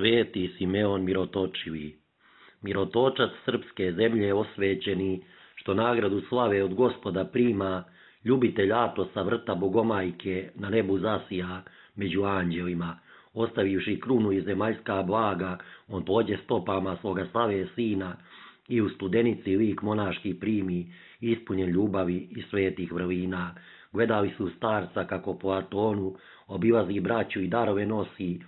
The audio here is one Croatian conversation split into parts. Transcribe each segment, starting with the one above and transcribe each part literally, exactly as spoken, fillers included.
Sveti Simeon Mirotočivi, mirotočac srpske zemlje osvećeni, što nagradu slave od Gospoda prima, ljubitelj Atosa vrta Bogomajke na nebu zasija među anđelima, ostavivši krunu i zemaljska blaga, on pođe stopama svoga slave sina i u studenici lik monaški primi, ispunjen ljubavi i svetih vrlina. Gledali su starca kako po Atonu obilazi braću i darove nosi,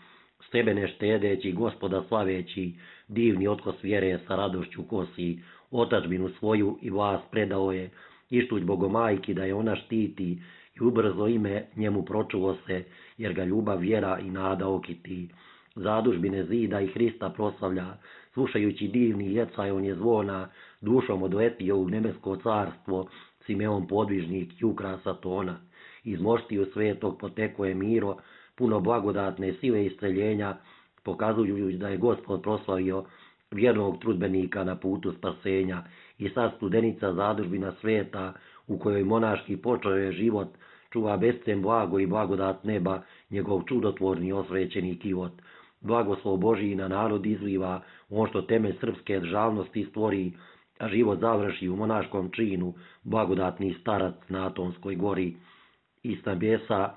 sebe ne štedeći, Gospoda slaveći, divni otkos vjere sa radošću kosi, otadžbinu svoju i vlast predao je, ištuć Bogomajki da je ona štiti, i ubrzo ime njemu pročulo se, jer ga ljubav, vjera i nada okiti. Zadužbine zida i Hrista proslavlja, slušajući divni jecaj on je zvona, dušom odletio u nebesko carstvo, Simeon podvižnik i ukrasa tona. Iz moštiju svetog poteko je miro, puno blagodatne sile istreljenja, pokazujući da je Gospod proslavio vjernog trudbenika na putu spasenja. I sad studenica zadužbina sveta, u kojoj monaški počeo je život, čuva bescen blago i blagodat neba, njegov čudotvorni osvećeni kivot. Blagoslov Božiji na narod izliva, on što temelj srpske državnosti stvori, a život završi u monaškom činu, blagodatni starac na Atonskoj gori. I s nebesa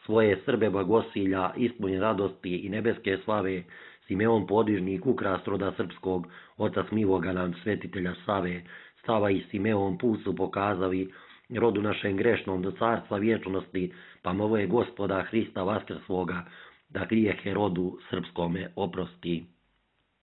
svoje Srbe blagosilja, ispunjen radosti i nebeske slave, Simeon podvižnik, ukras roda srpskog, otac miloga nam svetitelja Save, Sava i Simeon put su pokazali rodu našem grešnom do carstva vječnosti, pa mole Gospoda Hrista vaskrsloga, da grijehe rodu srpskome oprosti.